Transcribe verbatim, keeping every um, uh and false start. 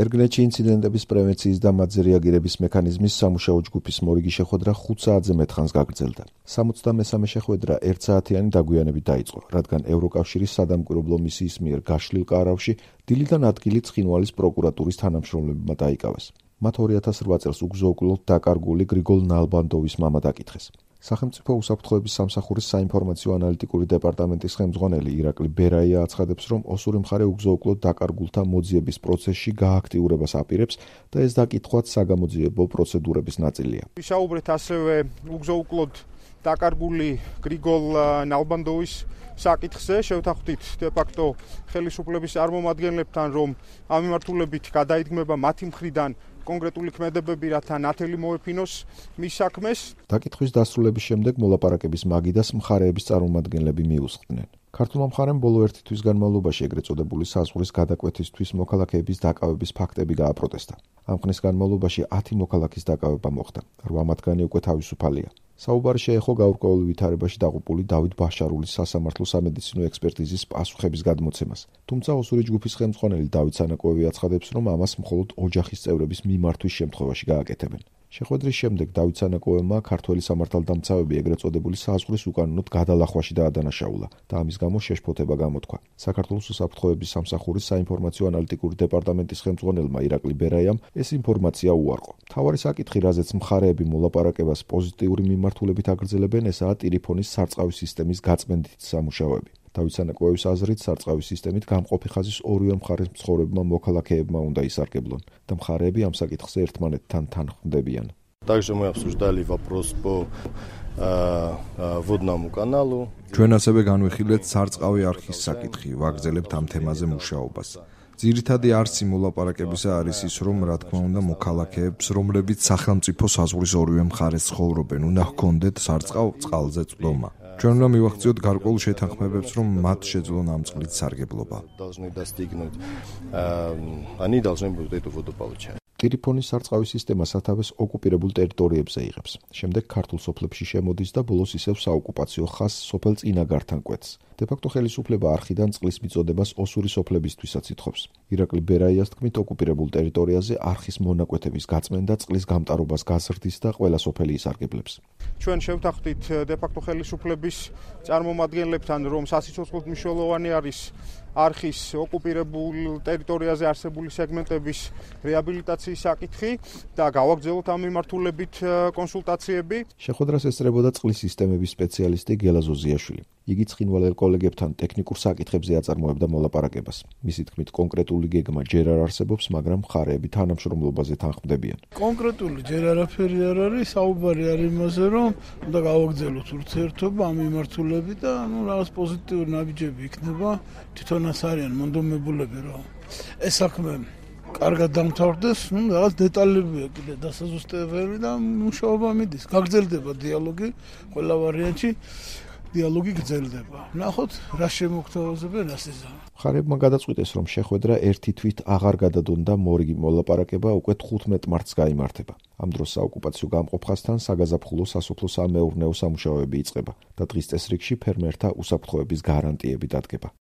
ერგნეთში ინციდენტების პრევენციის და მათზე რეაგირების მექანიზმის სამუშაო ჯგუფის მორიგი შეხვედრა ხუთ საათზე მეტხანს გაგრძელდა. სამოცდამესამე შეხვედრა ერთ საათიანი დაგვიანებით დაიწყო, რადგან ევროკავშირის სადამკვირვებლო მისიის მიერ გაშლილ კარავში დილიდან ადგილი ცხინვალის პროკურატურის თანამშრომლებმა დაიკავეს. მათ ორი ათას რვა წელს უგზო-უკვლოდ დაკარგული გრიგოლ ნალბანდოვის მამა დაკითხეს. სახელმწიფო უსაფრთხოების სამსახურის საინფორმაციო ანალიტიკური დეპარტამენტის ხელმძღვანელი ირაკლი ბერაია აცხადებს, რომ ოსური მხარე უგზო-უკვლოდ დაკარგულთა მოძიების პროცესში გააქტიურებას აპირებს და ეს დაკითხვაც საგამოძიებო პროცედურების ნაწილია. ვისაუბრეთ ასევე უგზო-უკვლოდ დაკარგული გრიგოლ ნალბანდოვის საკითხზე, შევთანხმდით დე-ფაქტო ხელისუფლების წარმომადგენლებთან, რომ ამ მიმართულებით გადაიდგმება მათი მხრიდან კონკრეტული ქმედებები, რათა ნათელი მოეფინოს მის საქმეს. დაკითხვის დასრულების შემდეგ მოლაპარაკების მაგიდას მხარეების წარმომადგენლები მიუსხდნენ. ქართულმა მხარემ ბოლო ერთი თვის განმავლობაში ეგრეთ წოდებული საზღვრის გადაკვეთისთვის მოქალაქეების დაკავების ფაქტები გააპროტესტა. ამ ხნის განმავლობაში ათი მოქალაქის დაკავება მოხდა, რვა მათგანი უკვე თავისუფალია. საუბარი შეეხო გაურკვეველ ვითარებაში დაღუპული დავით ბაშარულის სასამართლო სამედიცინო ექსპერტიზის პასუხების გადმოცემას. თუმცა ოსური ჯგუფის ხელმძღვანელი დავით სანაკოევი აცხადებს, რომ ამას მხოლოდ ოჯახის წევრების მიმართვის შემთხვევაში გააკეთებენ. შეხვედრის შემდეგ დავით სანაკოევმა ქართველი სამართალდამცავები ეგრეთ წოდებული საზღვრის უკანონოდ გადალახვაში დაადანაშაულა და ამის გამო შეშფოთება გამოთქვა. საქართველოს უსაფრთხოების სამსახურის საინფორმაციო ანალიტიკური დეპარტამენტის ხელმძღვანელმა ირაკლი ბერაიამ ეს ინფორმაცია უარყო. მთავარი საკითხი, რაზეც მხარეები მოლაპარაკებას პოზიტიური მიმართულებით აგრძელებენ, ესაა ტელეფონის სარწყავი სისტემის გაწმენდითი სამუშაოები. დავით სანაკოევის აზრით, სარწყავი სისტემით გამყოფი ხაზის ორივე მხარეს მცხოვრებმა მოქალაქეებმა უნდა ისარგებლონ და მხარეები ამ საკითხზე ერთმანეთთან თანხმდებიან. Также мы обсуждали вопрос по водному каналу. ჩვენ ასევე განვიხილეთ სარწყავი არხის საკითხი, ვაგრძელებთ ამ თემაზე მუშაობას. ძირითადი არსი მოლაპარაკებისა არის ის, რომ რა თქმა უნდა მოქალაქეებს, რომლებიც სახელმწიფო საზღვრის ორივე მხარეს ცხოვრობენ, უნდა ჰქონდეთ სარწყავ წყალზე წვდომა. ჩვენ უნდა მივახციოთ გარკვეულ შეთანხმებებს, რომ მათ შეძლონ ამ წყლით სარგებლობა. ტელეფონის სარწყავი სისტემა სათავეს ოკუპირებულ ტერიტორიებზე იღებს. შემდეგ ქართულ სოფლებში შემოდის და ბოლოს ისევ საოკუპაციო ხაზს სოფელ წინაგართან კვეთს. დე-ფაქტო ხელისუფლება არხიდან წყლის მიწოდებას ოსური სოფლებისთვისაც ითხოვს. ირაკლი ბერაიას თქმით, ოკუპირებულ ტერიტორიაზე არხის მონაკვეთების გაწმენდა წყლის გამტარობას გაზრდის და ყველა სოფელი ისარგებლებს. ჩვენ შევთანხმდით დე-ფაქტო ხელისუფლების წარმომადგენლებთან, რომ სასიცოცხლოდ მნიშვნელოვანი არის არხის ოკუპირებულ ტერიტორიაზე არსებული სეგმენტების რეაბილიტაციის საკითხი და გავაგრძელოთ ამ მიმართულებით კონსულტაციები. შეხვედრას ესწრებოდა წყლის სისტემების სპეციალისტი გელა ზოზიაშვილი. იგი ცხინვალელ კოლეგებთან ტექნიკურ საკითხებზე აწარმოებდა მოლაპარაკებას. მისი თქმით, კონკრეტული გეგმა ჯერ არ არსებობს, მაგრამ მხარეები თანამშრომლობაზე თანხმდებიან. კონკრეტული ჯერ არაფერი არ არის, საუბარი არის იმაზე, რომ უნდა გავაგრძელოთ ურთიერთობა ამ მიმართულებით და ნუ რაღაც პოზიტიური ნაბიჯები იქნება. თვითონაც არიან მონდომებულები, რომ ეს საქმე კარგად დამთავრდეს, ნუ რაღაც დეტალებია კიდე დასაზუსტებელი და მუშაობა მიდის. გაგრძელდება დიალოგი ყველა ვარიანტში. დიალოგი გრძელდება. ნახოთ, რა შემოგთავაზებენ ასეზე. მხარეებმა გადაწყვიტეს, რომ შეხვედრა ერთი თვით აღარ გადადონდა მორიგი მოლაპარაკება უკვე თხუთმეტ მარტს გაიმართება. ამ დროს საოკუპაციო გამყოფ ხაზთან საგაზაფხულო სასოფლო-სამეურნეო სამუშაოები იწყება და დღის წესრიგში ფერმერთა უსაფრთხოების გარანტიები დადგება.